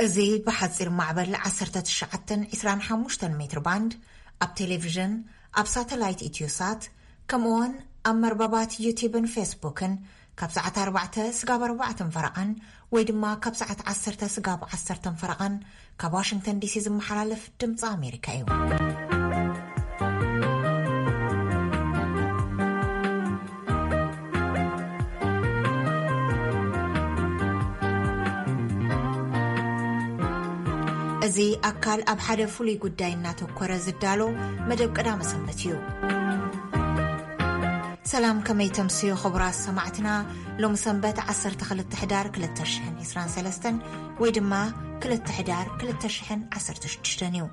እዚ ብሓጺር ማዕበል ዓሰርተ ትሽዓተ ዕስራን ሓሙሽተን ሜትር ባንድ፣ ኣብ ቴሌቪዥን፣ ኣብ ሳተላይት ኢትዮሳት፣ ከምኡውን ኣብ መርበባት ዩቲብን ፌስቡክን ካብ ሰዓት ኣርባዕተ ስጋብ ኣርባዕተን ፈረቓን ወይ ድማ ካብ ሰዓት ዓሰርተ ስጋብ ዓሰርተን ፈረቓን ካብ ዋሽንግተን ዲሲ ዝመሓላለፍ ድምፂ ኣሜሪካ እዩ። እዚ ኣካል ኣብ ሓደ ፍሉይ ጉዳይ እናተኮረ ዝዳሎ መደብ ቀዳመ ሰንበት እዩ። ሰላም፣ ከመይ ተምስዩ ክቡራት ሰማዕትና? ሎሚ ሰንበት ዓሰርተ ክልተ ሕዳር ክልተ ሽሕን ዕስራን ሰለስተን ወይ ድማ ክልተ ሕዳር ክልተ ሽሕን ዓሰርተ ሽዱሽተን እዩ።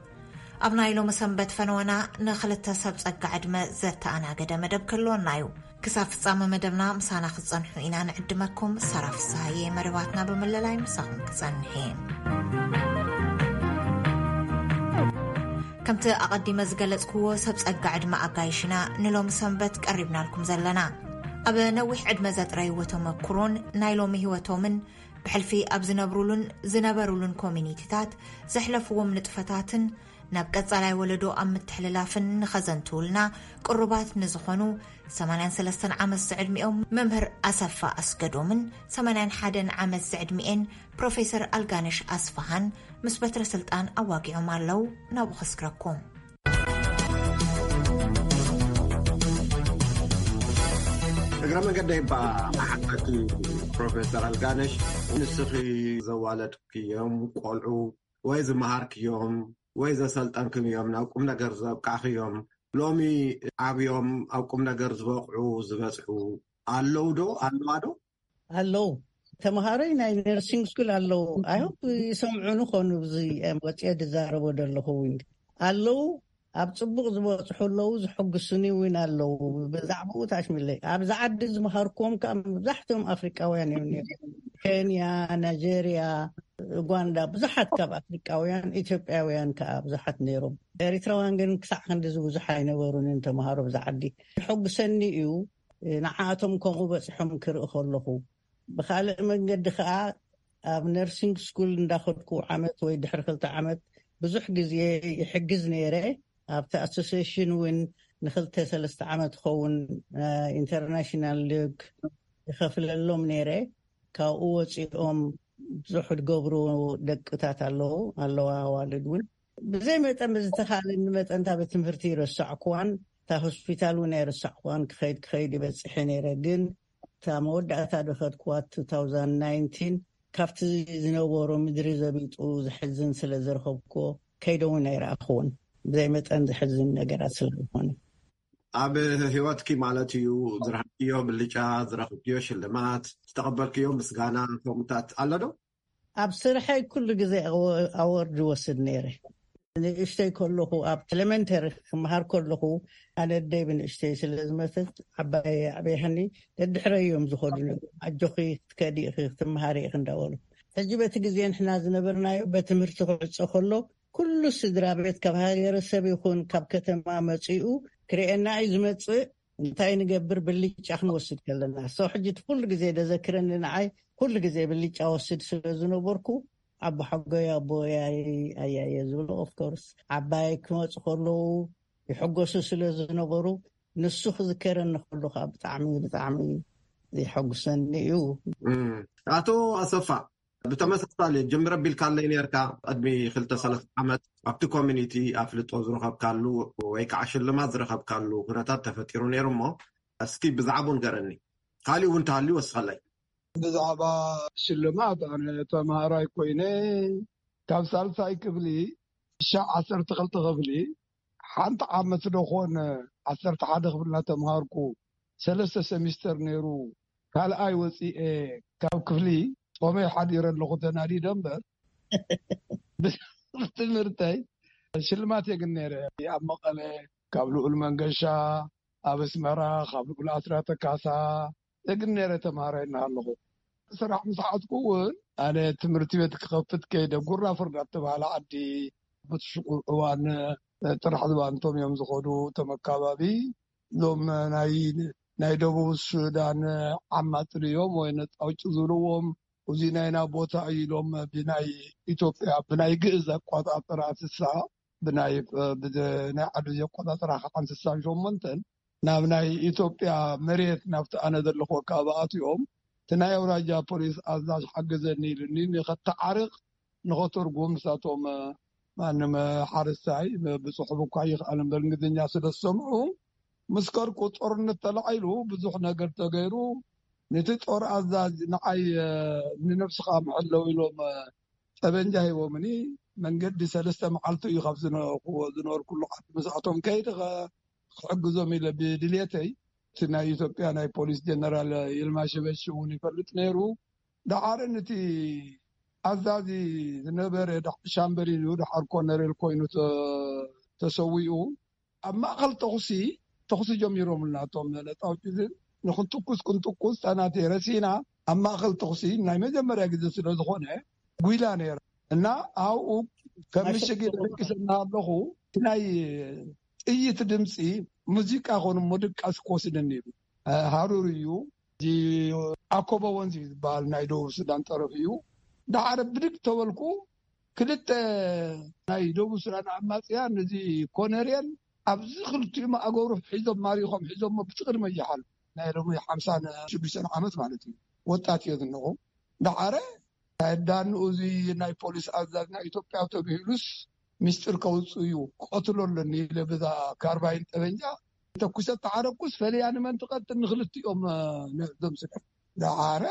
ኣብ ናይ ሎሚ ሰንበት ፈነወና ንክልተ ሰብ ጸጋ ዕድመ ዘተኣናገደ መደብ ክህልወና እዩ። ክሳብ ፍጻመ መደብና ምሳና ክትጸንሑ ኢና ንዕድመኩም። ሳራ ፍስሃየ መደባትና ብምልላይ ምሳኹም ክጸንሕ እየ። ከምቲ ኣቐዲመ ዝገለጽክዎ፣ ሰብ ጸጋ ዕድመ ኣጋይሽና ንሎሚ ሰንበት ቀሪብናልኩም ዘለና። ኣብ ነዊሕ ዕድመ ዘጥረይዎ ተመኩሮን ናይ ሎሚ ህይወቶምን ብሕልፊ ኣብ ዝነብሩሉን ዝነበሩሉን ኮሚኒቲታት ዘሕለፍዎም ንጥፈታትን ናብ ቀጻላይ ወለዶ ኣብ ምትሕልላፍን ንኸዘንትውልና ቅሩባት ንዝኾኑ ሰማንያን ሰለስተን ዓመት ዝዕድሚኦም መምህር ኣሰፋ ኣስገዶምን ሰማንያን ሓደን ዓመት ዝዕድሚኤን ፕሮፌሰር ኣልጋነሽ ኣስፋሃን ምስ በትረ ስልጣን ኣዋጊዖም ኣለዉ። ናብኡ ከስግረኩም። እግረ መንገደይ እባ ሓታቲ ፕሮፌሰር ኣልጋነሽ፣ ንስኺ ዘዋለድክዮም ቆልዑ ወይ ዝመሃርክዮም ወይ ዘሰልጠንክዮም፣ ናብ ቁም ነገር ዘብቃዕክዮም፣ ሎሚ ዓብዮም ኣብ ቁም ነገር ዝበቕዑ ዝበጽሑ ኣለዉ ዶ? ኣለዋ ዶ? ኣለዉ። ተምሃሮይ ናይ ነርሲንግ ስኩል ኣለዉ። ኣይ ሆፕ ይሰምዑኒ ኾኑ፣ እዚ ወፅየ ዝዛረቦ ዘለኹ እውን ኣለዉ። ኣብ ጽቡቕ ዝበጽሑ ኣለዉ፣ ዝሕጉስኒ እውን ኣለዉ። ብዛዕባኡ ታሽሚለይ። ኣብዚ ዓዲ ዝመሃርክዎም ከኣ መብዛሕትኦም ኣፍሪቃውያን እዮም ነይሮም። ኬንያ፣ ናይጀርያ፣ ኡጋንዳ፣ ብዙሓት ካብ ኣፍሪቃውያን፣ ኢትዮጵያውያን ከኣ ብዙሓት ነይሮም። ኤሪትራውያን ግን ክሳዕ ክንድዚ ብዙሕ ኣይነበሩን ተምሃሮ ብዛ ዓዲ። የሐጉሰኒ እዩ ንዓኣቶም ከምኡ በጺሖም ክርኢ ከለኹ። ብኻልእ መንገዲ ከኣ ኣብ ነርሲንግ ስኩል እንዳኸድኩ ዓመት ወይ ድሕሪ ክልተ ዓመት ብዙሕ ግዜ ይሕግዝ ነይረ። ኣብቲ ኣሶሲዬሽን እውን ንክልተ ሰለስተ ዓመት ክኸውን ኢንተርናሽናል ሊግ ይኸፍለሎም ነይረ። ካብኡ ወፂኦም ብዙሕ ዝገብሩ ደቅታት ኣለዉ ኣለዋ ኣዋልድ እውን። ብዘይ መጠን ብዝተኻለኒ መጠን እታ ቤት ትምህርቲ ይረሳዕኩዋን እታ ሆስፒታል እውን ኣይረሳዕኩዋን። ክኸይድ ክኸይድ ይበፅሐ ነይረ። ግን እታ መወዳእታ ዝኸድኩዋ two thousand nineteen ካብቲ ዝነበሮ ምድሪ ዘቢጡ ዘሕዝን ስለ ዝረኸብኩዎ ከይደ እውን ኣይረኣኽዎን። ብዘይ መጠን ዘሕዝን ነገራት ስለ ዝኾነ። ኣብ ህይወትኪ ማለት እዩ፣ ዝረኸብክዮ ብልጫ፣ ዝረኸብክዮ ሽልማት፣ ዝተቐበልክዮ ምስጋና ከምኡታት ኣሎ ዶ? ኣብ ስርሐይ ኩሉ ግዜ ኣወ-፣ ኣወርድ ይወስድ ነይረ። ንእሽተይ ከለኹ ኣብ ኤሌመንተሪ ክመሃር ከለኹ ኣነ ኣደይ ብንእሽተይ ስለ ዝመተት ዓባይ ኣዕበይሃኒ ደድሕረይ እዮም ዝኸዱ ነይሮም። ኣጆኺ ክትከዲ ኢኺ ክትመሃሪ ኢኺ እንዳበሉ። ሕጂ በቲ ግዜ ንሕና ዝነበርናዮ በትምህርቲ ክዕጾ ከሎ ኩሉ ስድራ ቤት ካብ ሃገረሰብ ይኹን ካብ ከተማ መጺኡ ክርእየና እዩ ዝመጽእ። እንታይ ንገብር ብልጫ ክንወስድ ከለና። ሰው ሕጂ እቲ ኩሉ ግዜ ደዘክረኒ ንዓይ ኩሉ ግዜ ብልጫ ወስድ ስለ ዝነበርኩ ኣቦ ሓጎይ ኣቦ ኣያየ ዝብሎ ኦፍኮርስ ዓባይ ክመፁ ከለዉ ይሕጎሱ ስለ ዝነበሩ ንሱ ክዝከረኒ ከሎ ከዓ ብጣዕሚ ብጣዕሚ የሐጉሰኒ እዩ። እም፣ ኣቶ ኣሰፋ ብተመሳሳሊ ጅምር ኣቢልካለይ ነርካ። ቅድሚ ክልተ ሰለስተ ዓመት ኣብቲ ኮሚኒቲ ኣፍልጦ ዝረኸብካሉ ወይ ከዓ ሽልማት ዝረኸብካሉ ኩነታት ተፈጢሩ ነይሩ እሞ እስኪ ብዛዕባኡ ንገረኒ። ካሊእ እውን እንተሃልዩ ወስኸለይ። ብዛዕባ ሽልማት ኣነ ተምሃራይ ኮይነ ካብ ሳልሳይ ክፍሊ ሻዕ ዓሰርተ ክልተ ክፍሊ ሓንቲ ዓመት ዶ ኾን ዓሰርተ ሓደ ክፍሊ እናተምሃርኩ ሰለስተ ሰሚስተር ነይሩ ካልኣይ ወፂኤ ካብ ክፍሊ ፆመይ ሓዲረ ኣለኹ ተናዲደ እምበር ብትምህርተይ ሽልማት የግን ነይረ። ኣብ መቐለ ካብ ልኡል መንገሻ፣ ኣብ ኣስመራ ካብ ልኡል ኣስራተ ካሳ የግን ነይረ ተምሃራይ እናሃለኹ። ስራሕ ምስ ሓዝኩ እውን ኣነ ትምህርቲ ቤት ክኸፍት ከይደ ጉራ ፍርዳ እተባህለ ዓዲ ብትሽቁ እዋን ጥራሕ ዝባንቶም እዮም ዝኸዱ። እቶም ኣካባቢ እዞም ናይ፣ ናይ ደቡብ ሱዳን ዓማጽ ድዮም ወይ ነጻ ውጭ ዝብልዎም እዚ ናይና ቦታ እዩ ኢሎም ብናይ ኢትዮጵያ ብናይ ግእዝ ኣቋጣጥራ ስሳ ብናይ ብናይ ዓዱ ዘቋጣጥራ ከዓ ስሳን ሸሞንተን ናብ ናይ ኢትዮጵያ መሬት ናብቲ ኣነ ዘለኹ ኣካባቢ ኣትዮም እቲ ናይ ኣውራጃ ፖሊስ ኣዛዥ ሓገዘኒ ኢሉኒ ንኸተዓርቕ ንኸተርጉም ንሳቶም ማንም ሓረስታይ ብፅሑፍ እኳ ይኽኣል እምበር እንግሊዝኛ ስለ ዝሰምዑ ምስ ከድኩ ጦርነት ተላዒሉ ብዙሕ ነገር ተገይሩ ነቲ ጦር ኣዛዝ ንዓይ ንነብስኻ መሐለው ኢሎም ጠበንጃ ሂቦምኒ መንገዲ ሰለስተ መዓልቲ እዩ ካብ ዝነበርኩዎ ዝነበርኩሉ ዓዲ ምስኣቶም ከይደ ክሕግዞም ኢለ ብድልየተይ እቲ ናይ ኢትዮጵያ ናይ ፖሊስ ጀነራል ይልማ ሽበሺ እውን ይፈልጥ ነይሩ። ደሓር ነቲ ኣዛዚ ዝነበረ ሻምበል እዩ ደሓር ኮነሬል ኮይኑ ተሰዊኡ ኣብ ማእኸል ተኹሲ ተኹሲ ጀሚሮምልና እቶም ነፃ ውጭትን ንክንትኩስ ክንትኩስ ታናቴ ረሲና ኣብ ማእኸል ተኹሲ ናይ መጀመርያ ግዜ ስለ ዝኾነ ጉይላ ነይራ እና ኣብኡ ከም ምሽግ ደቂሰና ኣለኹ ናይ ጥይት ድምፂ ሙዚቃ ኮኑ ሙድቃስ ክወስደኒ ኢሉ ሃሩር እዩ። እዚ ኣኮቦ ወንዝ እዩ ዝበሃል ናይ ደቡብ ሱዳን ጠረፍ እዩ። ዳሓረ ብድግ ተበልኩ ክልተ ናይ ደቡብ ሱዳን ኣማፅያን እዚ ኮነርየል ኣብዚ ክልቲኡ ማእገሩ ሒዞም ማሪኾም ሒዞሞ ብትቕድመ ይሓሉ ናይ ሎሚ ሓምሳን ሽዱሽተን ዓመት ማለት እዩ። ወጣት እየ ዝነኹ ዳሓረ ናይ ዳንኡ እዚ ናይ ፖሊስ ኣዛዝ ናይ ኢትዮጵያ ተብሂሉስ ሚስጥር ከውፅእ እዩ ክቐትሎ ኣለኒ ኢለ በዛ ካርባይን ጠበንጃ ተኩሰ ተዓረኩስ ፈለያ ንመን ትቐትል ንክልቲኦም ነዞም ስለ ዳሓረ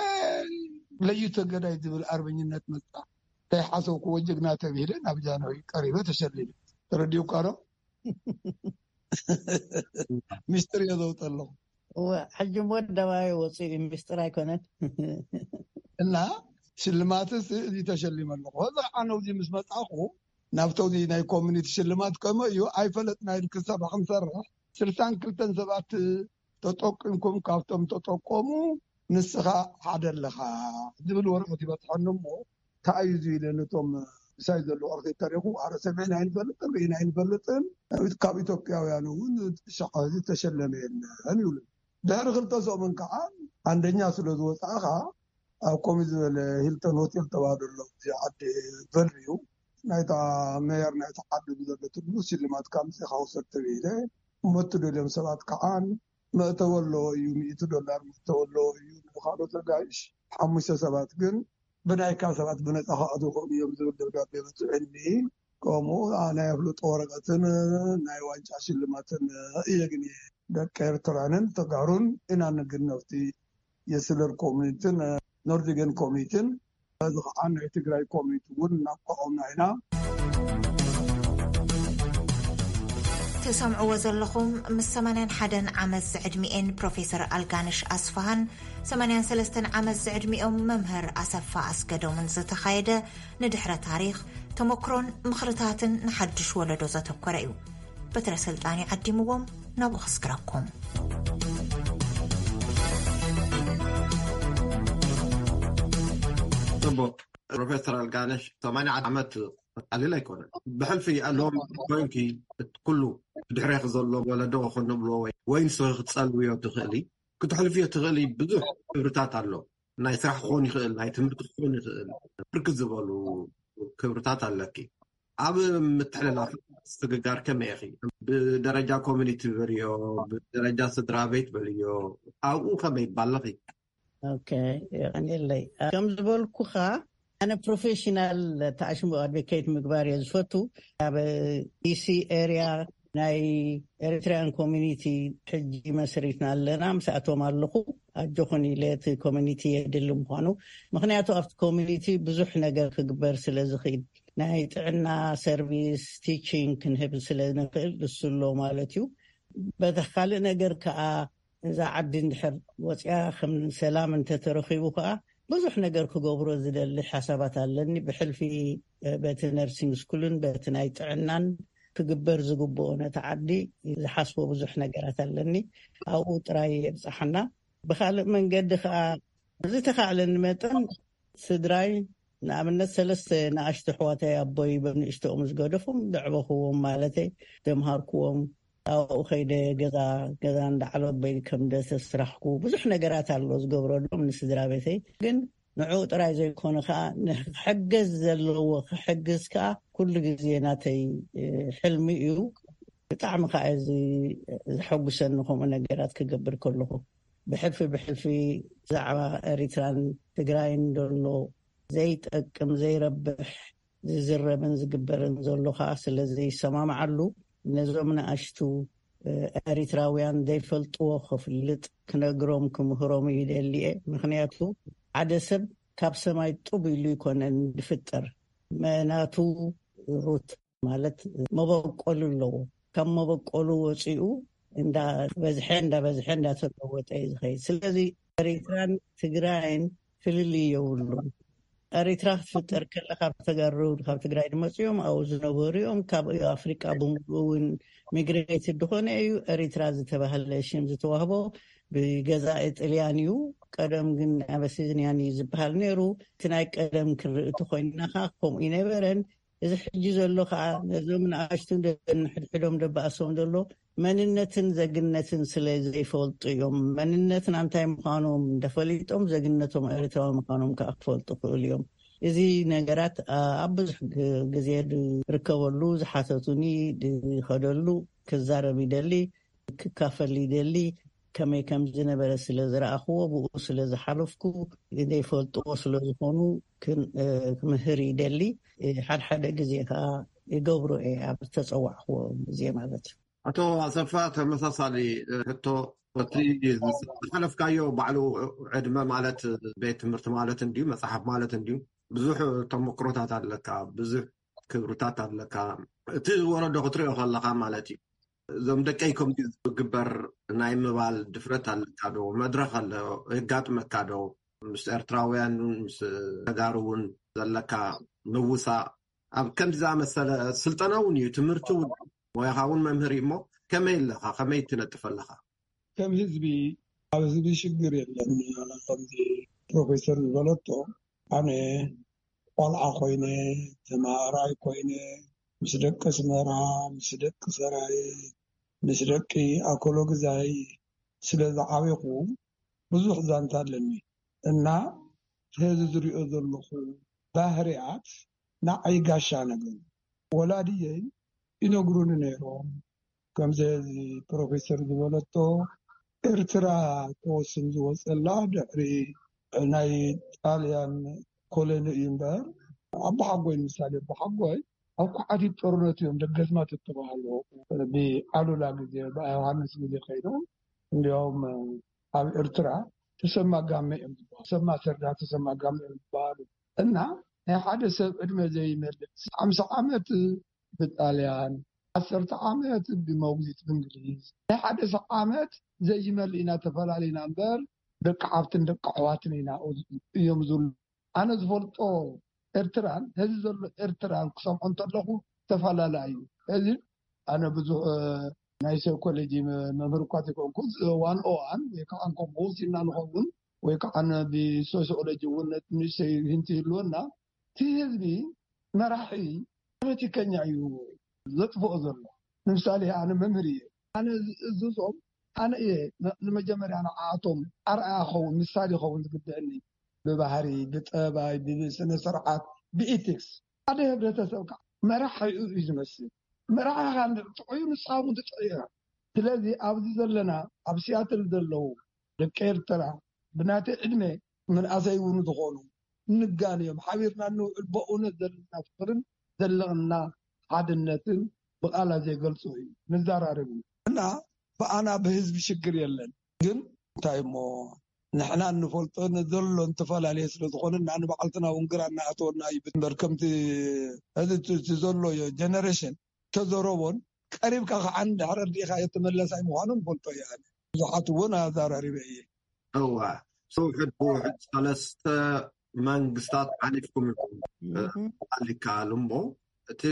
ለይቶ ገዳይ ዝብል ኣርበኝነት መጣ እንታይ ሓሰብኩዎ ጀግና ተብሂለ ናብ ጃንሆይ ቀሪበ ተሸሊለ ተረዲኡካ ዶ ሚስጥር እየ ዘውፀ ኣለኹ ሕጂ ወደባይ ወፅኡ ሚስጥር ኣይኮነን እና ሽልማትስ እዚ ተሸሊመ ኣለኹ እዚ ከዓ ነዚ ምስ መፃኹ ናብተዚ ናይ ኮሚኒቲ ሽልማት ከምኡ እዩ ኣይፈለጥና ኢል ክሳብ ክንሰርሕ ስልሳን ክልተን ሰባት ተጠቂምኩም ካብቶም ተጠቀሙ ንስኻ ሓደ ኣለኻ ዝብል ወረቀት ይበፅሐኒ እሞ እንታይ እዩ ኢለ ነቶም ምሳይ ዘለዉ ኣርክቴክት ተሪኹ ኣረ ሰሚዕና ኣይንፈልጥን ርኢና ኣይንፈልጥን ካብ ኢትዮጵያውያን እውን ሻዕ ተሸለመ የለን ይብሉ ድሕሪ ክልተ ሰሙን ከዓ ኣንደኛ ስለ ዝወፃእኻ ኣብ ከምኡ ዝበለ ሂልተን ሆቴል ተባህሉ ኣሎ እዚ ዓዲ ቨልዩ ናይታ ሜየር ናይቲ ዓዲ ብዘለትሉ ሽልማት ካብ ምፅኻ ውሰድ ተብሂለ እሞ እትደልዮም ሰባት ከዓ መእተዊ ኣለዎ እዩ ሚእቲ ዶላር መእተዊ ኣለዎ እዩ ንካልኦት ኣጋይሽ ሓሙሽተ ሰባት ግን ብናይካ ሰባት ብነፃ ክኣትዉ ይኽእሉ እዮም ዝብል ደብዳቤ በፅሑኒ ከምኡ ናይ ኣፍልጦ ወረቀትን ናይ ዋንጫ ሽልማትን እየ ግን ደቂ ኤርትራንን ተጋሩን ኢና ንግነፍቲ የስለር ኮሚኒትን ኖርዲገን ኮሚኒትን በዚ ከዓ ናይ ትግራይ ኮሚኒቲ እውን እናቋቆምና ኢና ትሰምዕዎ ዘለኹም ምስ ሰማንያን ሓደን ዓመት ዝዕድሚኤን ፕሮፌሰር ኣልጋነሽ ኣስፋሃን ሰማንያን ሰለስተን ዓመት ዝዕድሚኦም መምህር ኣሰፋ ኣስገዶምን ዝተኻየደ ንድሕረ ታሪኽ ተመክሮን ምኽርታትን ንሓድሽ ወለዶ ዘተኮረ እዩ። በትረ ስልጣን ይዓዲምዎም ናብኡ ክስግረኩም። ጽቡቅ ፕሮፌሰር ኣልጋነሽ ሰማንያ ዓመት ቀሊል ኣይኮነን። ብሕልፊ ኣለዎም ኮይንኪ ኩሉ ድሕሬክ ዘሎ ወለዶ ክኾን ንብሎ ወይ ወይ ንስኺ ክትጸልውዮ ትኽእሊ ክትሕልፍዮ ትኽእሊ ብዙሕ ክብርታት ኣሎ። ናይ ስራሕ ክኾን ይኽእል፣ ናይ ትምህርቲ ክኾን ይኽእል፣ ብርክት ዝበሉ ክብርታት ኣለኪ። ኣብ ምትሕልላፍ ስግጋር ከመይ ኢኺ? ብደረጃ ኮሚኒቲ በልዮ፣ ብደረጃ ስድራ ቤት በልዮ፣ ኣብኡ ከመይ ባለኺ? ኦኬ፣ የቐንየለይ። ከም ዝበልኩኻ ኣነ ፕሮፌሽናል ተኣሽሙ ኣድቮኬት ምግባር እየ ዝፈቱ። ኣብ ዲሲ ኤሪያ ናይ ኤሪትሪያን ኮሚኒቲ ሕጂ መስሪትና ኣለና። ምስኣቶም ኣለኹ ኣጆኹን ኢለ እቲ ኮሚኒቲ የድሊ ምዃኑ ምክንያቱ ኣብቲ ኮሚኒቲ ብዙሕ ነገር ክግበር ስለ ዝኽእል ናይ ጥዕና ሰርቪስ ቲቺንግ ክንህብ ስለ ንኽእል እሱ ኣሎ ማለት እዩ። በቲ ካልእ ነገር ከዓ እዛ ዓዲ እንድሕር ወፅያ ከም ሰላም እንተተረኺቡ ከዓ ብዙሕ ነገር ክገብሮ ዝደሊ ሓሳባት ኣለኒ። ብሕልፊ በቲ ነርሲንግ ስኩልን በቲ ናይ ጥዕናን ክግበር ዝግብኦ ነቲ ዓዲ ዝሓስቦ ብዙሕ ነገራት ኣለኒ። ኣብኡ ጥራይ የብፅሓና። ብካልእ መንገዲ ከዓ ብዝተካእለኒ መጠን ስድራይ ንኣብነት ሰለስተ ንኣሽቱ ኣሕዋተይ ኣቦይ በንእሽተኦም ዝገደፎም ዘዕበኽዎም ማለተይ ዘምሃርክዎም ኣብኡ ከይደ ገዛ ገዛ እንዳዓለበይ ከም ዘተስራሕኩ ብዙሕ ነገራት ኣሎ ዝገብረሎም ንስድራ ቤተይ ግን ንዕኡ ጥራይ ዘይኮነ ከዓ ንክሕገዝ ዘለዎ ክሕግዝ ከዓ ኩሉ ግዜ ናተይ ሕልሚ እዩ። ብጣዕሚ ከዓ እዚ ዘሐጉሰኒ ከምኡ ነገራት ክገብር ከለኹ፣ ብሕልፊ ብሕልፊ ብዛዕባ ኤሪትራን ትግራይን ዘሎ ዘይጠቅም ዘይረብሕ ዝዝረብን ዝግበርን ዘሎ ከዓ ስለ ዘይሰማምዓሉ፣ ነዞም ንኣሽቱ ኤሪትራውያን ዘይፈልጥዎ ክፍልጥ ክነግሮም ክምህሮም ይደሊ እየ። ምክንያቱ ሓደ ሰብ ካብ ሰማይ ጡብ ኢሉ ይኮነን ዝፍጠር፣ መናቱ ሩት ማለት መበቆሉ ኣለዎ። ካብ መበቆሉ ወፂኡ እንዳበዝሐ እንዳበዝሐ እንዳተለወጠ እዩ ዝኸይድ። ስለዚ ኤሪትራን ትግራይን ፍልልይ የብሉን። ኤሪትራ ክትፍጠር ከላ ካብ ተጋሩ ካብ ትግራይ ዝመፅኦም ኣብኡ ዝነበሩ እዮም። ካብ ኣፍሪቃ ብምሉኡ እውን ሚግሬትድ ዝኾነ እዩ። ኤሪትራ ዝተባህለ ሽም ዝተዋህቦ ብገዛኢ ጥልያን እዩ። ቀደም ግን ኣበሲዝንያን እዩ ዝበሃል ነይሩ። እቲ ናይ ቀደም ክንርኢ እንተኮይንና ከዓ ከምኡ ይነበረን። እዚ ሕጂ ዘሎ ከዓ ነዞም ንኣሽቱ ንሕድሕዶም ደባእሶም ዘሎ መንነትን ዘግነትን ስለ ዘይፈልጡ እዮም። መንነትና እንታይ ምዃኖም እንደፈሊጦም ዘግነቶም ኤርትራዊ ምዃኖም ከዓ ክፈልጡ ክእሉ እዮም። እዚ ነገራት ኣብ ብዙሕ ግዜ ዝርከበሉ ዝሓተቱኒ ዝኸደሉ ክዛረብ ይደሊ፣ ክካፈል ይደሊ። ከመይ ከም ዝነበረ ስለ ዝረኣኽዎ ብኡ ስለ ዝሓለፍኩ ዘይፈልጥዎ ስለ ዝኾኑ ክምህር ይደሊ። ሓድሓደ ግዜ ከዓ ይገብሮ እየ ኣብ ዝተፀዋዕክዎ ግዜ ማለት እዩ። ኣቶ ኣሰፋ፣ ተመሳሳሊ ሕቶ። እቲ ዝሓለፍካዮ ባዕሉ ዕድመ ማለት ቤት ትምህርቲ ማለት እንድዩ፣ መፅሓፍ ማለት እንድዩ። ብዙሕ ተመክሮታት ኣለካ፣ ብዙሕ ክብርታት ኣለካ። እቲ ወለዶ ክትሪኦ ከለካ ማለት እዩ፣ እዞም ደቀይ ከምዚ ዝግበር ናይ ምባል ድፍረት ኣለካ ዶ? መድረክ ኣሎ የጋጥመካ ዶ? ምስ ኤርትራውያን እውን ምስ ተጋሩ እውን ዘለካ ምውሳእ ኣብ ከምዚ ዝኣመሰለ ስልጠና እውን እዩ፣ ትምህርቲ እውን፣ ሞያኻ እውን መምህር እዩ። እሞ ከመይ ኣለኻ? ከመይ ትነጥፍ ኣለኻ? ከም ህዝቢ፣ ኣብ ህዝቢ ሽግር የለን። ከምዚ ፕሮፌሰር ዝበለቶ፣ ኣነ ቆልዓ ኮይነ፣ ተማሃራይ ኮይነ፣ ምስ ደቂ ኣስመራ፣ ምስ ደቂ ሰራየ፣ ምስ ደቂ ኣኮሎግዛይ ስለ ዝዓበኹ ብዙሕ ዛንታ ኣለኒ እና ሕዚ ዝሪኦ ዘለኹ ባህርያት ንዓይ ጋሻ ነገሩ። ወላድየይ ይነግሩኒ ነይሮም። ከምዚ ፕሮፌሰር ዝበለቶ፣ ኤርትራ ክወስን ዝወፀላ ድሕሪ ናይ ጣልያን ኮሎኒ እዩ እምበር፣ ኣቦሓጎይ ንምሳሌ፣ ኣቦሓጎይ ኣብ ኳዕቲት ጦርነት እዮም ደገዝማት እተባህሉ። ብኣሉላ ግዜ፣ ብዮሃንስ ግዜ ከይዶም፣ እንዲያውም ኣብ ኤርትራ ተሰማ ጋመ እዮም ዝበሃሉ። ተሰማ ሰርዳ፣ ተሰማ ጋመ እዮም ዝበሃሉ። እና ናይ ሓደ ሰብ ዕድመ ዘይመልእ፣ ሓምሳ ዓመት ብጣልያን፣ ዓሰርተ ዓመት ብመጉዚት ብእንግሊዝ፣ ናይ ሓደ ሰብ ዓመት ዘይመልእ ኢና ተፈላለና እምበር፣ ደቂ ሓፍትን ደቂ ኣሕዋትን ኢና እዮም ዝብሉ። ኣነ ዝፈልጦ ኤርትራን፣ ሕዚ ዘሎ ኤርትራን ክሰምዖ እንተለኹ ተፈላለ እዩ። ሕዚ ኣነ ብዙሕ፣ እ፣ ናይ ሳይኮሎጂ መ-፣ መምህር እኳ ዘይኮንኩ፣ እ፣ ዋን ኦ ዋን ወይ ከዓ ከምኡ ወሲድና ንኸውን፣ ወይ ከዓ ን-፣ ብሶሲዮሎጂ እውን ንእሽተይ ሂንቲ ይህልወና። እቲ ህዝቢ መራሒ ፖለቲከኛ እዩ ዘጥፍኦ ዘሎ። ንምሳሌ ኣነ መምህር እየ። ኣነ ዝእዝዞም፣ ኣነ እየ ን-፣ ንመጀመርያ ንዓኣቶም ኣርኣያ ኸውን፣ ምሳሌ ኸውን ዝግብአኒ። ብባህሪ፣ ብጠባይ፣ ብስነ ስርዓት፣ ብኢቲክስ። ሓደ ህብረተሰብ ከዓ መራሒኡ እዩ ዝመስል። መራሒኻ እንድሕር ጥዑዩ ንስኻ እውን ትጥዑ ኢኻ። ስለዚ ኣብዚ ዘለና ኣብ ሲያትል ዘለዉ ደቂ ኤርትራ ብናተይ ዕድመ ምንኣሰይ እውን ዝኾኑ ንጋንዮም ሓቢርና እንውዕል በእውነት ዘለና ፍቅርን ዘለና ሓድነትን ብቃላት ዘይገልጾ እዩ። ንዘራረብ እዩ። እና ብኣና ብህዝቢ ሽግር የለን። ግን እንታይ እሞ ንሕና እንፈልጦ ዘሎ እንተፈላለየ ስለ ዝኾነ እና ንባዕልትና እውን ግራ እናኣተወና እዩ። እምበር ከምቲ እዚ እቲ፣ እቲ ዘሎ ጀነሬሽን ተዘረቦን ቀሪብካ ከዓ እንድሕር ርዲእካ የተመለሳይ ምዃኑ ንፈልጦ እየ። ኣነ ብዙሓት እውን ኣዛራሪበ እየ። እዋ፣ ውሕድ ብውሕድ ሰለስተ መንግስታት ሓሊፍኩም ኢኹም። እህ። ኣሊካ እሞ እቲ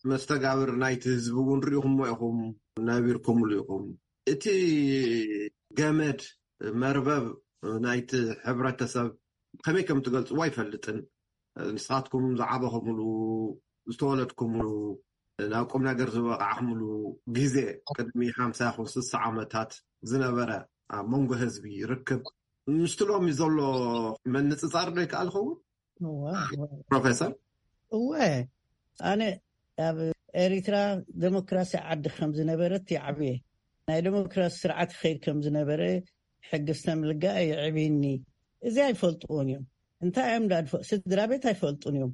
መስተጋብር ናይቲ ህዝቢ እውን ርኢኹሞ ኢኹም፣ ነቢርኩምሉ ኢኹም። እቲ ገመድ መርበብ ናይቲ ሕብረተሰብ ከመይ ከም ትገልጽዎ ኣይፈልጥን። ንስኻትኩም ዝዓበኹምሉ፣ ዝተወለድኩምሉ፣ ናብ ቁም ነገር ዝበቃዕኩምሉ ግዜ ቅድሚ ሓምሳ ይኹን ስሳ ዓመታት ዝነበረ ኣብ መንጎ ህዝቢ ርክብ ምስቲ ሎሚ ዘሎ ምንጽጻር ዶ ይከኣል ይኸውን? እወ፣ እወ። ፕሮፌሰር? እወ፣ ኣነ ኣብ ኤሪትራ ደሞክራሲ ዓዲ ከም ዝነበረት ይዓብየ። ናይ ደሞክራሲ ስርዓት ይኸይድ ከም ዝነበረ ሕጊ ዝተምልጋ የዕብይኒ። እዚ ኣይፈልጥዎን እዮም። እንታይ እዮም ዳድፎ? ስድራ ቤት ኣይፈልጡን እዮም።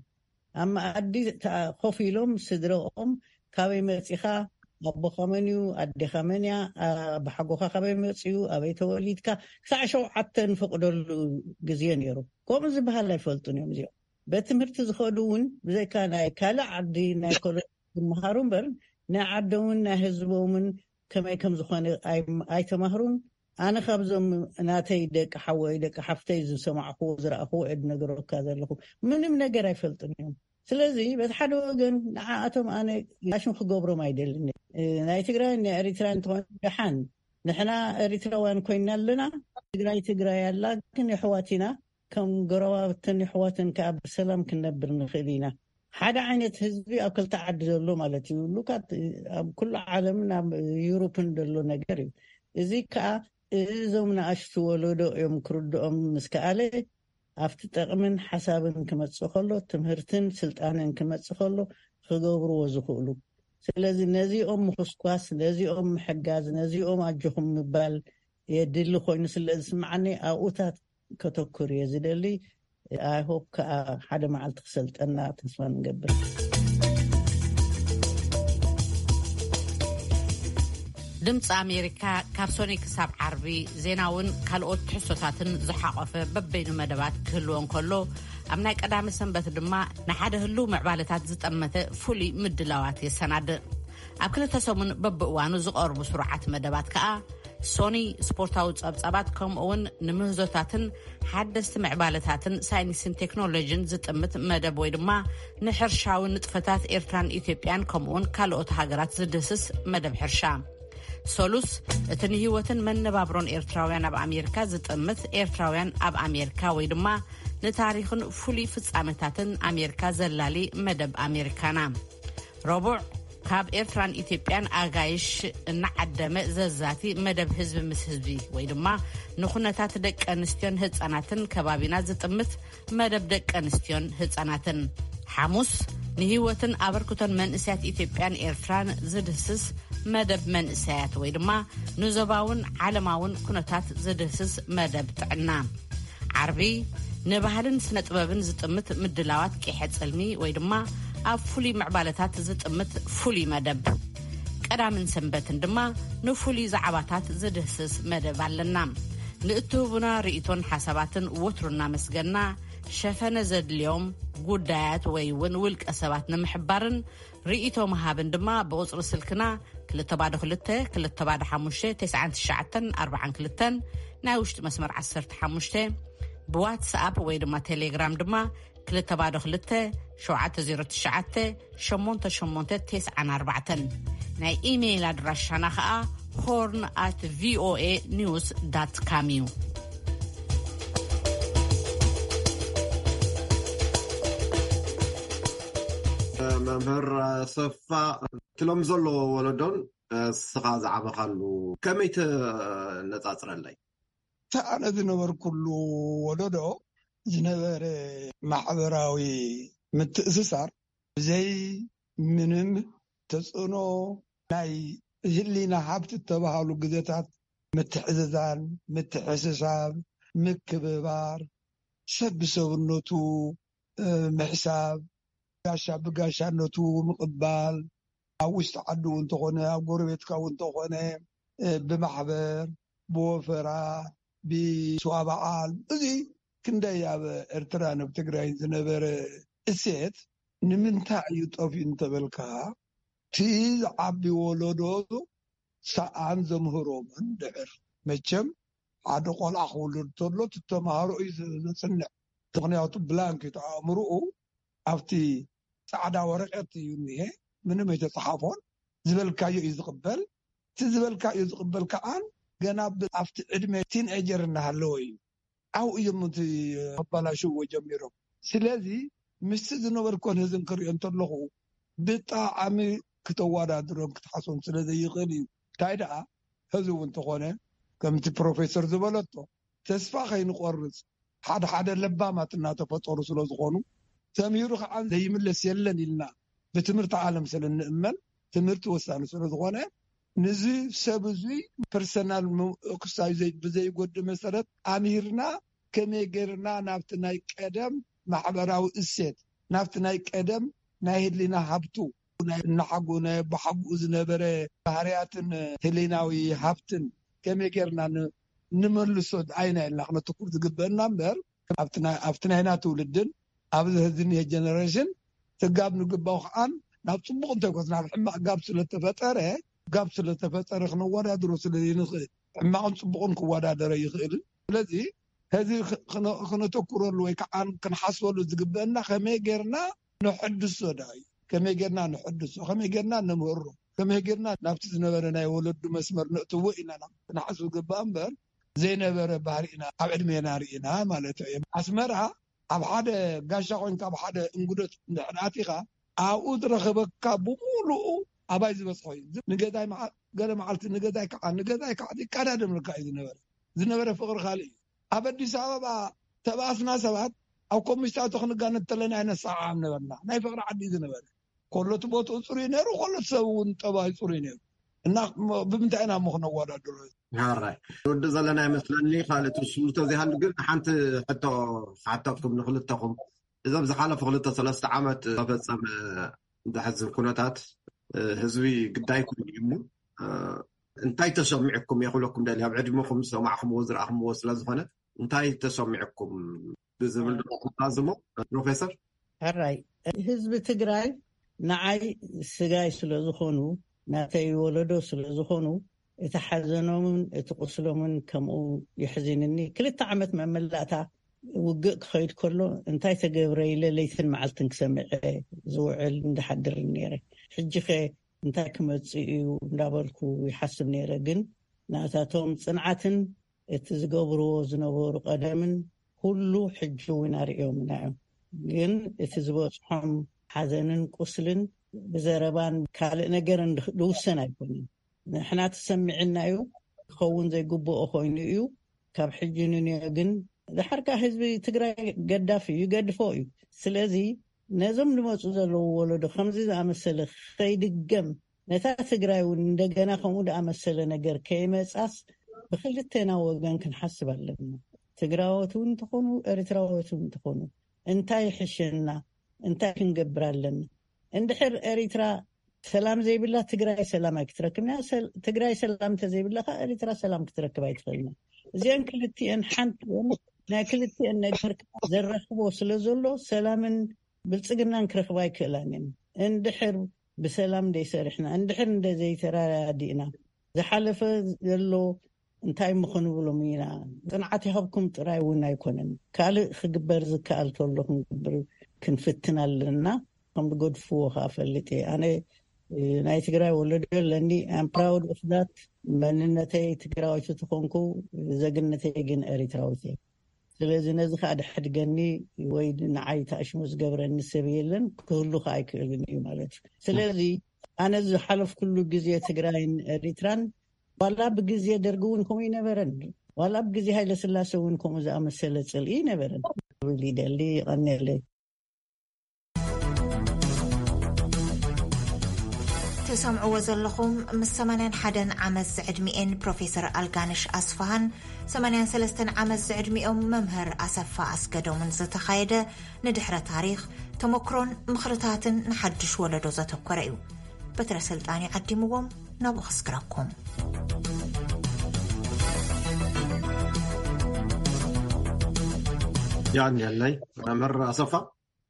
ኣብ መኣዲ ተኣ-፣ ኮፍ ኢሎም ስድረኦም፣ ካበይ መጺኻ፣ ኣቦኻ መን እዩ፣ ኣዴኻ መን እያ፣ ኣባሓጎኻ ካበይ መጺኡ፣ ኣበይ ተወሊድካ፣ ክሳዕ ሸውዓተ ንፈቅደሉ ግዜ ነይሩ። ከምኡ ዝበሃል ኣይፈልጡን እዮም እዚኦም። ቤት ትምህርቲ ዝኸዱ እውን ብዘይካ ናይ ካልእ ዓዲ ናይ ኮሎ-፣ ዝመሃሩ እምበር፣ ናይ ዓዶምን ናይ ህዝቦምን ከመይ ከም ዝኾነ ኣይ-፣ ኣይተማህሩን። ኣነ ካብዞም ናተይ ደቂ ሓወይ፣ ደቂ ሓፍተይ ዝሰማዕኩዎ፣ ዝረኣኹዎ እየ ዝነግረካ ዘለኹ። ምንም ነገር ኣይፈልጡን እዮም። ስለዚ በቲ ሓደ ወገን ንዓኣቶም ኣነ ጋሽም ክገብሮም ኣይደልን። እ፣ ናይ ትግራይ ናይ ኤሪትራ እንተኾነ ደሓን፣ ንሕና ኤሪትራውያን ኮይና ኣለና። ትግራይ ትግራይ ኣላ፣ ግን የሕዋት ኢና። ከም ጎረባብትን የሕዋትን ከኣ ብሰላም ክንነብር ንኽእል ኢና። ሓደ ዓይነት ህዝቢ ኣብ ክልተ ዓዲ ዘሎ ማለት እዩ። ሉካት ኣብ ኩሉ ዓለምን ኣብ ዩሮፕን ዘሎ ነገር እዩ። እዚ ከኣ እዞም ንኣሽቱ ወለዶ እዮም ክርድኦም ምስ ከኣለ፣ ኣብቲ ጠቕምን ሓሳብን ክመጽእ ከሎ፣ ትምህርትን ስልጣንን ክመጽእ ከሎ ክገብርዎ ዝኽእሉ። ስለዚ ነዚኦም ምኹስኳስ፣ ነዚኦም ምሕጋዝ፣ ነዚኦም ኣጆኹም ምባል የድሊ ኮይኑ ስለ ዝስምዓኒ ኣብኡታት ከተኩር እየ ዝደሊ። ኣይ ሆፕ ከኣ ሓደ መዓልቲ ክሰልጠና ተስፋ ንገብር። ድምፂ ኣሜሪካ ካብ ሶኒ ክሳብ ዓርቢ ዜናውን ካልኦት ትሕዝቶታትን ዝሓቆፈ በበይኑ መደባት ክህልዎ እንከሎ፣ ኣብ ናይ ቀዳሚ ሰንበት ድማ ንሓደ ህልው ምዕባለታት ዝጠመተ ፍሉይ ምድላዋት የሰናድእ። ኣብ ክልተ ሰሙን በብእዋኑ ዝቐርቡ ስሩዓት መደባት ከኣ ሶኒ ስፖርታዊ ጸብጻባት፣ ከምኡ እውን ንምህዞታትን ሓደስቲ ምዕባለታትን ሳይንስን ቴክኖሎጂን ዝጥምት መደብ ወይ ድማ ንሕርሻዊ ንጥፈታት ኤርትራን ኢትዮጵያን ከምኡ እውን ካልኦት ሃገራት ዝድህስስ መደብ ሕርሻ። ሰሉስ፣ እቲ ንህይወትን መነባብሮን ኤርትራውያን ኣብ ኣሜሪካ ዝጥምት ኤርትራውያን ኣብ ኣሜሪካ ወይ ድማ ንታሪኽን ፍሉይ ፍጻመታትን ኣሜሪካ ዘላሊ መደብ ኣሜሪካና። ረቡዕ፣ ካብ ኤርትራን ኢትዮጵያን ኣጋይሽ እናዓደመ ዘዛቲ መደብ ህዝቢ ምስ ህዝቢ ወይ ድማ ንኩነታት ደቂ ኣንስትዮን ህጻናትን ከባቢና ዝጥምት መደብ ደቂ ኣንስትዮን ህጻናትን። ሓሙስ፣ ንህይወትን ኣበርክቶን መንእሰያት ኢትዮጵያን ኤርትራን ዝድህስስ መደብ መንእሰያት ወይ ድማ ንዞባውን ዓለማውን ኩነታት ዝድህስስ መደብ ጥዕና። ዓርቢ፣ ንባህልን ስነ ጥበብን ዝጥምት ምድላዋት ቂሐ ጽልሚ ወይ ድማ ኣብ ፍሉይ ምዕባለታት ዝጥምት ፍሉይ መደብ። ቀዳምን ሰንበትን ድማ ንፍሉይ ዛዕባታት ዝድህስስ መደብ ኣለና። ንእትህቡና ርእይቶን ሓሳባትን ወትሩ እናመስገና፣ ሸፈነ ዘድልዮም ጉዳያት ወይ እውን ውልቀ ሰባት ንምሕባርን ርእይቶ ምሃብን ድማ ብቁጽሪ ስልክና ክልተ ባዶ ክልተ፣ ክልተ ባዶ ሓሙሽተ፣ ተስዓን ትሽዓተን ኣርባዓን ክልተን፣ ናይ ውሽጢ መስመር ዓሰርተ ሓሙሽተ፣ ብዋትስኣፕ ወይ ድማ ቴሌግራም ድማ ክልተ ባዶ ክልተ፣ ሸውዓተ ዜሮ ትሽዓተ፣ ሸሞንተ ሸሞንተ ተስዓን ኣርባዕተን። ናይ ኢሜይል ኣድራሻና ኸኣ ሆርን ኣት ቪኦኤ ኒውስ ዳት ካም እዩ። መምህር ኣሰፋ፣ እቲ ሎም ዘሎ ወለዶን እስኻ ዝዓበኻሉ ከመይ ተነጻጽረለይ? እቲ ኣነ ዝነበርኩሉ ወለዶ ዝነበረ ማሕበራዊ ምትእስሳር ብዘይ ምንም ተጽዕኖ ናይ ህሊና ሃብቲ እተባሃሉ ግዜታት ምትሕዝዛን፣ ምትሕስሳብ፣ ምክብባር፣ ሰብ ብሰብነቱ፣ እ፣ ምሕሳብ፣ ጋሻ ብጋሻነቱ ምቕባል፣ ኣብ ውሽጢ ዓዲ እውን እንተኾነ፣ ኣብ ጎረቤትካ እውን እንተኾነ፣ እ፣ ብማሕበር፣ ብወፈራ፣ ብስዋ በዓል፣ እዚ ክንደይ ኣብ ኤርትራን ኣብ ትግራይን ዝነበረ እሴት ንምንታይ እዩ ጠፊኡ እንተበልካ፣ እቲ ዝዓቢ ወለዶ ሰኣን ዘምህሮምን ድሕር መቸም ሓደ ቆልዓ ክውልድ ተሎ እቲ ተማሃሮ እዩ ዘ-፣ ዘጽንዕ። ምኽንያቱ ብላንክ እዩ ኣእምርኡ ኣብቲ ጻዕዳ ወረቀት እዩ እኒሄ፣ ምንም ኣይተጻሓፎን። ዝበልካዮ እዩ ዝቕበል። እቲ ዝበልካዮ ዝቕበል ከዓን ገና ብ-፣ ኣብቲ ዕድመ ቲንኤጀር እናሃለወ እዩ። ኣብኡ እዮም እቲ ኣባላሽዎ ጀሚሮም። ስለዚ ምስቲ ዝነበርኮን ህዝን ክሪኦ እንተለኹ ብጣዕሚ ክተወዳድሮን ክትሓሶን ስለ ዘይኽእል እዩ። እንታይ ደኣ ህዚ እውን እንተኾነ ከምቲ ፕሮፌሰር ዝበለቶ ተስፋ ከይንቆርጽ፣ ሓደ ሓደ ለባማት እናተፈጠሩ ስለ ዝኾኑ፣ ተምሂሩ ከዓ ዘይምለስ የለን ኢልና ብትምህርቲ ዓለም ስለ እንእመን፣ ትምህርቲ ወሳኒ ስለ ዝኾነ፣ ንዚ ሰብ እዙይ ፐርሰናል ክሳይ ብዘይጎድ መሰረት ኣምሂርና፣ ከመይ ገይርና ናብቲ ናይ ቀደም ማሕበራዊ እሴት፣ ናብቲ ናይ ቀደም ናይ ህሊና ሃብቱ፣ ናይ እናሓጉ ናይ ኣቦሓጉኡ ዝነበረ ባህርያትን ህሊናዊ ሃብትን ከመይ ገይርና ን- ንመልሶ ኣይና ኢልና ክነተኩር ዝግበአና እምበር፣ ኣብቲ ናይ- ኣብቲ ናይና ትውልድን ኣብዚ ሕዚ ዝኒሀ ጀነሬሽን ትጋብ ንግባው ከዓን ናብ ጽቡቕ እንተይኮስ ናብ ሕማቕ ጋብ ስለተፈጠረ፣ ጋብ ስለተፈጠረ ክነወዳድሮ ስለ ዘይንኽእል፣ ሕማቕን ጽቡቕን ክወዳደረ ይኽእልን። ስለዚ ሕዚ ክ- ክነ- ክነተኩረሉ ወይ ከዓ ክንሓስበሉ ዝግበአና ከመይ ጌርና ንሕድሶ ዳ እዩ። ከመይ ጌርና ንሕድሶ፣ ከመይ ጌርና ነምህሮ፣ ከመይ ጌርና ናብቲ ዝነበረ ናይ ወለዱ መስመር ነእትዎ ኢና ናብ ክንሓስብ ዝግባእ እምበር፣ ዘይነበረ ባህሪና ኣብ ዕድሜና ርኢና ማለት እዩ። ኣስመራ ኣብ ሓደ ጋሻ ኮይንካ ኣብ ሓደ እንግዶት እንድሕር ኣቲኻ ኣብኡ ዝረኸበካ ብምሉኡ ኣባይ ዝበፅሖ እዩ። ንገዛይ መዓ- ገለ መዓልቲ ንገዛይ ከዓ ንገዛይ ከዓ ይቀዳደምልካ እዩ ዝነበረ። ዝነበረ ፍቕሪ ካልእ እዩ። ኣብ ኣዲስ ኣበባ ተባእስና ሰባት ኣብ ኮሚስታቶ ክንጋነ እንተለና ኣይነሰዓዓም ነበርና። ናይ ፍቕሪ ዓዲ እዩ ዝነበረ። ኮሎት ቦትኡ ፅሩይ ነይሩ፣ ኮሎት ሰብ እውን ጠባይ ፅሩይ ነይሩ። እና እሞ ብምንታይ ኢና እሞ ክነወዳድሮ? ሓራይ ንወዲ ዘለና ይመስለኒ። ካልእ ትውስሉ ተዘይሃሉ ግን ሓንቲ ሕቶ ክሓተኩም ንክልተኹም። እዞም ዝሓለፉ ክልተ ሰለስተ ዓመት ተፈጸመ ዘሕዝን ኩነታት፣ እ፣ ህዝቢ ግዳይ ኮይኑ እዩ እሞ፣ እ፣ እንታይ ተሰሚዕኩም እየ ክብለኩም ደልየ። ኣብ ዕድመኹም ዝሰማዕኩምዎ ዝረኣኹምዎ ስለ ዝኾነ እንታይ ተሰሚዕኩም ብዝብል ዶ ክዛዝሞ ፕሮፌሰር? ሕራይ ህዝቢ ትግራይ ንዓይ ስጋይ ስለ ዝኾኑ፣ ናተይ ወለዶ ስለ ዝኾኑ፣ እቲ ሓዘኖምን እቲ ቁስሎምን ከምኡ የሕዝንኒ። ክልተ ዓመት መመላእታ ውግእ ክኸይድ ከሎ እንታይ ተገብረ ኢለ ለይትን መዓልትን ክሰምዐ ዝውዕል እንዳሓድርን ነይረ። ሕጂኸ እንታይ ክመጽእ እዩ እንዳበልኩ ይሓስብ ነይረ። ግን ናታቶም ጽንዓትን እቲ ዝገብርዎ ዝነበሩ ቀደምን ኩሉ ሕጂ እውን ኣርእዮምና እዮም። ግን እቲ ዝበጽሖም ሓዘንን ቁስልን ብዘረባን ካልእ ነገርን ድውሰን ኣይኮነን። ንሕና ተሰሚዕና እዩ፣ ክኸውን ዘይግብኦ ኮይኑ እዩ። ካብ ሕጂ ንንዮ ግን ድሓርካ ህዝቢ ትግራይ ገዳፍ እዩ፣ ይገድፎ እዩ። ስለዚ ነዞም ዝመፁ ዘለዉ ወለዶ ከምዚ ዝኣመሰለ ከይድገም፣ ነታ ትግራይ እውን እንደገና ከምኡ ዝኣመሰለ ነገር ከይመፃስ ብክልቴና ወገን ክንሓስብ ኣለና። ትግራዎት እውን እንተኾኑ ኤርትራዎት እውን እንተኾኑ እንታይ ይሕሸና፣ እንታይ ክንገብር ኣለና? እንድሕር ኤርትራ ሰላም ዘይብላ ትግራይ ሰላም ኣይክትረክብና። ሰል- ትግራይ ሰላም እንተዘይብላ ከዓ ኤርትራ ሰላም ክትረክብ ኣይትኽእልና። እዚአን ክልቲአን ሓንቲ እየን። ናይ ክልቲአን ነገር ከዓ ዘራኽቦ ስለ ዘሎ ሰላምን ብልፅግናን ክረኽባ ኣይክእላን እየን። እንድሕር ብሰላም እንደይሰሪሕና፣ እንድሕር እንደዘይተረዳዲእና፣ ዝሓለፈ ዘሎ እንታይ እሞ ክንብሎም ኢና? ጽንዓት ይሃብኩም ጥራይ እውን ኣይኮነን። ካልእ ክግበር ዝከኣል ተሎ ክንገብር ክንፍትን ኣለና። ከም ዝገድፍዎ ከዓ ፈልጥ እየ። ኣነ ናይ ትግራይ ወለዶ ኣለኒ። I'm proud of that። መንነተይ ትግራወይቲ ተኾንኩ፣ ዘግነተይ ግን ኤሪትራዊት እየ። ስለዚ ነዚ ከዓ ደሕድገኒ ወይ ንዓይ ተኣሽሙ ዝገብረኒ ሰብ የለን፣ ክህሉ ከዓ ኣይክእልን እዩ ማለት እዩ። ስለዚ ኣነ ዝሓለፍኩሉ ግዜ ትግራይን ኤሪትራን ዋላ ብግዜ ደርጊ እውን ከምኡ ይነበረን፣ ዋላ ብግዜ ሃይለ ስላሴ እውን ከምኡ ዝኣመሰለ ፅልኢ ይነበረን። ይደሊ ይቐንየለይ። ትሰምዕዎ ዘለኹም ምስ ሰማንያን ሓደን ዓመት ዝዕድሚኤን ፕሮፌሰር ኣልጋነሽ ኣስፋሃን ሰማንያን ሰለስተን ዓመት ዝዕድሚኦም መምህር ኣሰፋ ኣስገዶምን ዝተኻየደ ንድሕረ ታሪኽ፣ ተመክሮን ምኽርታትን ንሓድሽ ወለዶ ዘተኮረ እዩ። በትረ ስልጣን እዩ ዓዲምዎም ናብኡ ከስግረኩም። ያንየለይ መምህር ኣሰፋ።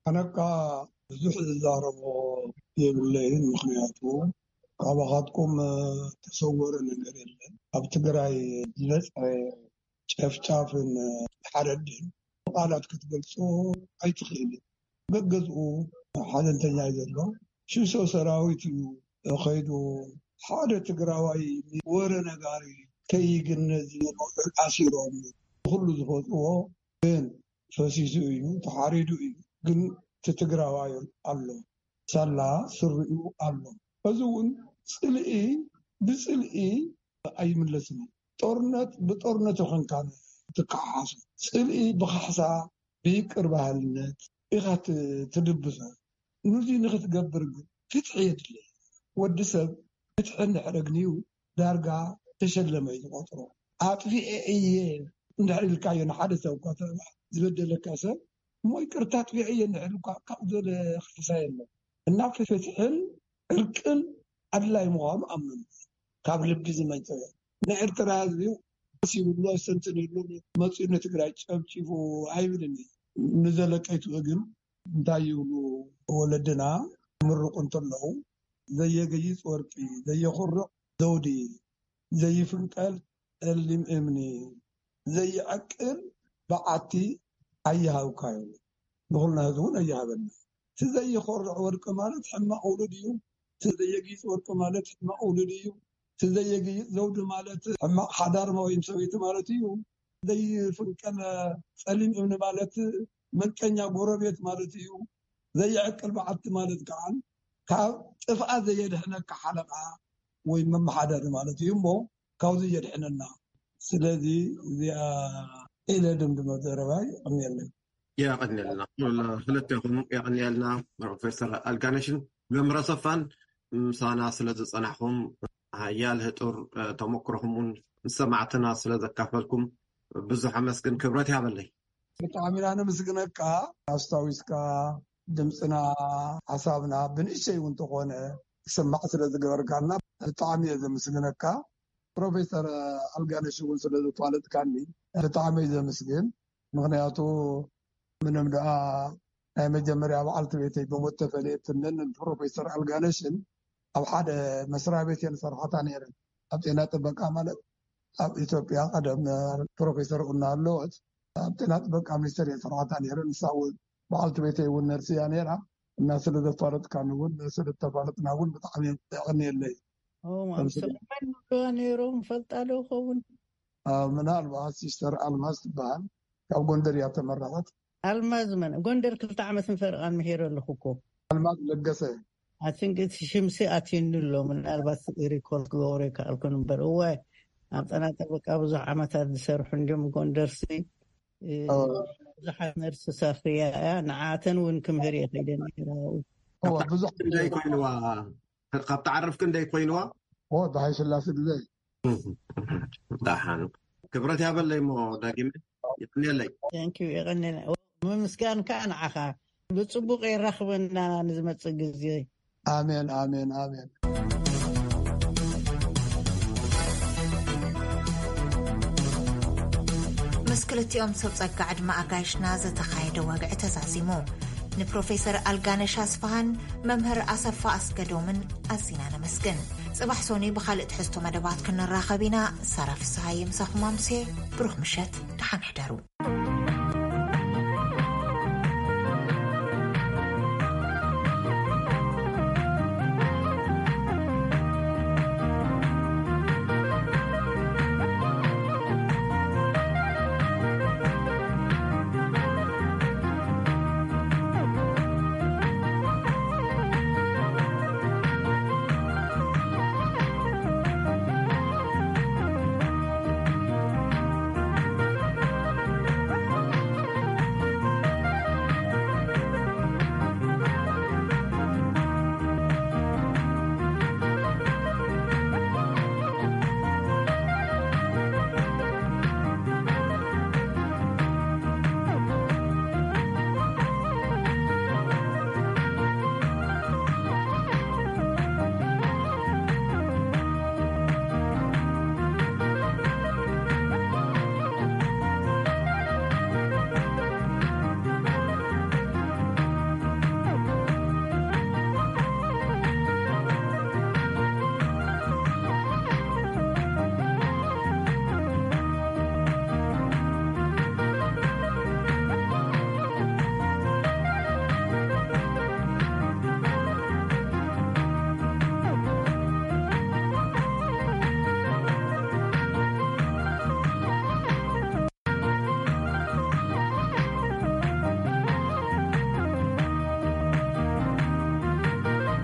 ኣነካ ብዙሕ ዝዛረቦ የብለይን፣ ምኽንያቱ ካባኻትኩም ተሰወረ ነገር የለን። ኣብ ትግራይ ዝበፅሐ ጨፍጫፍን ሓረድን ብቃላት ክትገልፆ ኣይትኽእልን። በገዝኡ ሓዘንተኛ እዩ ዘሎ። ሽሶ ሰራዊት እዩ ከይዱ። ሓደ ትግራዋይ ወረ ነጋሪ ከይግነዝ ኣሲሮም ኩሉ ዝፈፅዎ ግን ፈሲሱ እዩ፣ ተሓሪዱ እዩ። ግን እቲ ትግራዋይ ኣሎ፣ ሳላ ስሪኡ ኣሎ። እዚ እውን ፅልኢ ብፅልኢ ኣይምለስን እዩ። ጦርነት ብጦርነት ይኾንካ ትከሓሓሶ። ጽልኢ ብካሕሳ፣ ብይቅር በሃልነት ኢኻ ት-፣ ትድብሶ። ንዚ ንክትገብር ግን ፍትሒ የድሊ። ወዲ ሰብ ፍትሒ እንድሕር ኣግንዩ ዳርጋ ተሸለመ እዩ ዝቆጽሮ። ኣጥፊኤ እየ እንድሕር ኢልካዮ ንሓደ ሰብ እኳ፣ ዝበደለካ ሰብ፣ እሞ ይቅርታ ኣጥፊኤ እየ እንድሕር ኢልካ ካብኡ ዝበለ ካሕሳ የለን። እና ፍትሕን ዕርቅን ኣድላይ ምዃኑ ኣምኑ። ካብ ልቢ ዝመንጨ ናይ ኤርትራ ህዝቢ ደስ ይብሎ፣ ሰንትንሉ፣ መጺኡ ንትግራይ ጨብጪቡ ኣይብልን እዩ። ንዘለቀይቱ ግን እንታይ ይብሉ ወለድና ምርቁ እንተለዉ፣ "ዘየገይጽ ወርቂ፣ ዘየኹርዕ ዘውዲ፣ ዘይፍንቀል ጸሊም እምኒ፣ ዘይዕቅል በዓቲ ኣይሃብካ" ይብሉ። ንኹልና ህዝቢ እውን ኣይሃበና። እቲ ዘይኾርዕ ወርቂ ማለት ሕማቕ ውሉድ እዩ። እቲ ዘየጊጽ ወርቂ ማለት ሕማቕ ውሉድ እዩ። እቲ ዘየጊጽ ዘውዲ ማለት ሕማቕ ሓዳር ወይም ሰበይቲ ማለት እዩ። ዘይፍንቀል ጸሊም እምኒ ማለት መንቀኛ ጎረቤት ማለት እዩ። ዘይዕቅል በዓቲ ማለት ከዓ ካብ ጥፍኣት ዘየድሕነካ ሓለቓ ወይ መመሓደሪ ማለት እዩ እሞ ካብዚ የድሕነና። ስለዚ እዚኣ ኢለ ድምድመ ዘረባይ። የቐንየለይ። የቐንየልና። ክልቴኹም የቐንየልና፣ ፕሮፌሰር ኣልጋነሽን መምህር ኣሰፋን፣ ምሳና ስለ ዝጸናሕኩም፣ ሓያል ህጡር፣ እ፣ ተመክሮኹም እውን ንሰማዕትና ስለ ዘካፈልኩም ብዙሕ ኣመስግን፣ ክብረት ይሃበለይ። ብጣዕሚ ኢና ነመስግነካ። ኣስታዊስካ ድምፅና፣ ሓሳብና ብንእሽተይ እውን እንተኾነ ክስማዕ ስለ ዝገበርካና ብጣዕሚ እየ ዘመስግነካ። ፕሮፌሰር ኣልጋነሽ እውን ስለ ዘፋለጥካኒ ብጣዕሚ እየ ዘመስግን። ምኽንያቱ ምንም ደኣ ናይ መጀመርያ በዓልቲ ቤተይ ብሞት ተፈለየትንን ፕሮፌሰር ኣልጋነሽን ኣብ ሓደ መስሪያ ቤት እየን ሰርሓታ ነይረን። ኣብ ጤና ጥበቃ ማለት ኣብ ኢትዮጵያ ቀደም ፕሮፌሰር እናሃለወት ኣብ ጤና ጥበቃ ሚኒስቴር እየን ሰርሓታ ነይረን። ንሳ እውን በዓልቲ ቤተይ እውን ነርሲ እያ ነይራ። እና ስለ ዘፋለጥካኒ እውን ስለ ዝተፋለጥና እውን ብጣዕሚ የቐንየለይ። ኦ፣ ማም ተመስገን። ሰለማን ይብልዋ ነይሮም፣ ፈልጣ ዶ ይኸውን? አ፣ ምናልባት ሲስተር ኣልማዝ ትበሃል፣ ካብ ጎንደር እያ ተመረቐት። ኣልማዝ መን? ጎንደር ክልተ ዓመትን ፈረቓን ምሄረ ኣለኹ እኮ። ኣልማዝ ለገሰ። ኣይ ቲንክ እቲ ሽምሲ ኣትዩኒ ኣሎ፣ ምናልባት ሪኮርድ ክገብሮ ይከኣልኩን እምበር። እወ፣ ኣብ ጤና ጥበቃ ብዙሕ ዓመታት ዝሰርሑ እንዲዮም ጎንደርሲ። እ፣ ኦ። ብዙሓት ነርስ ሰፍርያ እያ፣ ንዓተን እውን ክምህር እየ ከይደ ነይረ ኣብኡ። ኦ፣ ብዙሕ ክንደይ ኮይንዋ? ካብቲ ዓርፍ ክንደይ ኮይንዋ? ኦ፣ ብሃይ ስላሴ ግዜ። ዳሓን ክብረት ያበለይ እሞ ዳጊመ ይቕንየለይ። Thank you፣ የቐንየለይ። ምምስጋን ከኣ ንዓኻ። ብጽቡቕ የራኽበና ንዝመጽእ ግዜ። ኣሜን፣ ኣሜን፣ ኣሜን። ምስ ክልቲኦም ሰብ ጸጋ ዕድመ ኣጋይሽና ዝተኻየደ ወግዒ ተዛዚሙ። ንፕሮፌሰር ኣልጋነሽ ኣስፍሃን መምህር ኣሰፋ ኣስገዶምን ኣዚና ነመስግን። ጽባሕ ሶኒ ብኻልእ ትሕዝቶ መደባት ክንራኸብ ኢና። ሳራ ፍስሃየ ምሳኹም ኣምሴ። ብሩኽ ምሸት፣ ደሓን ሕደሩ።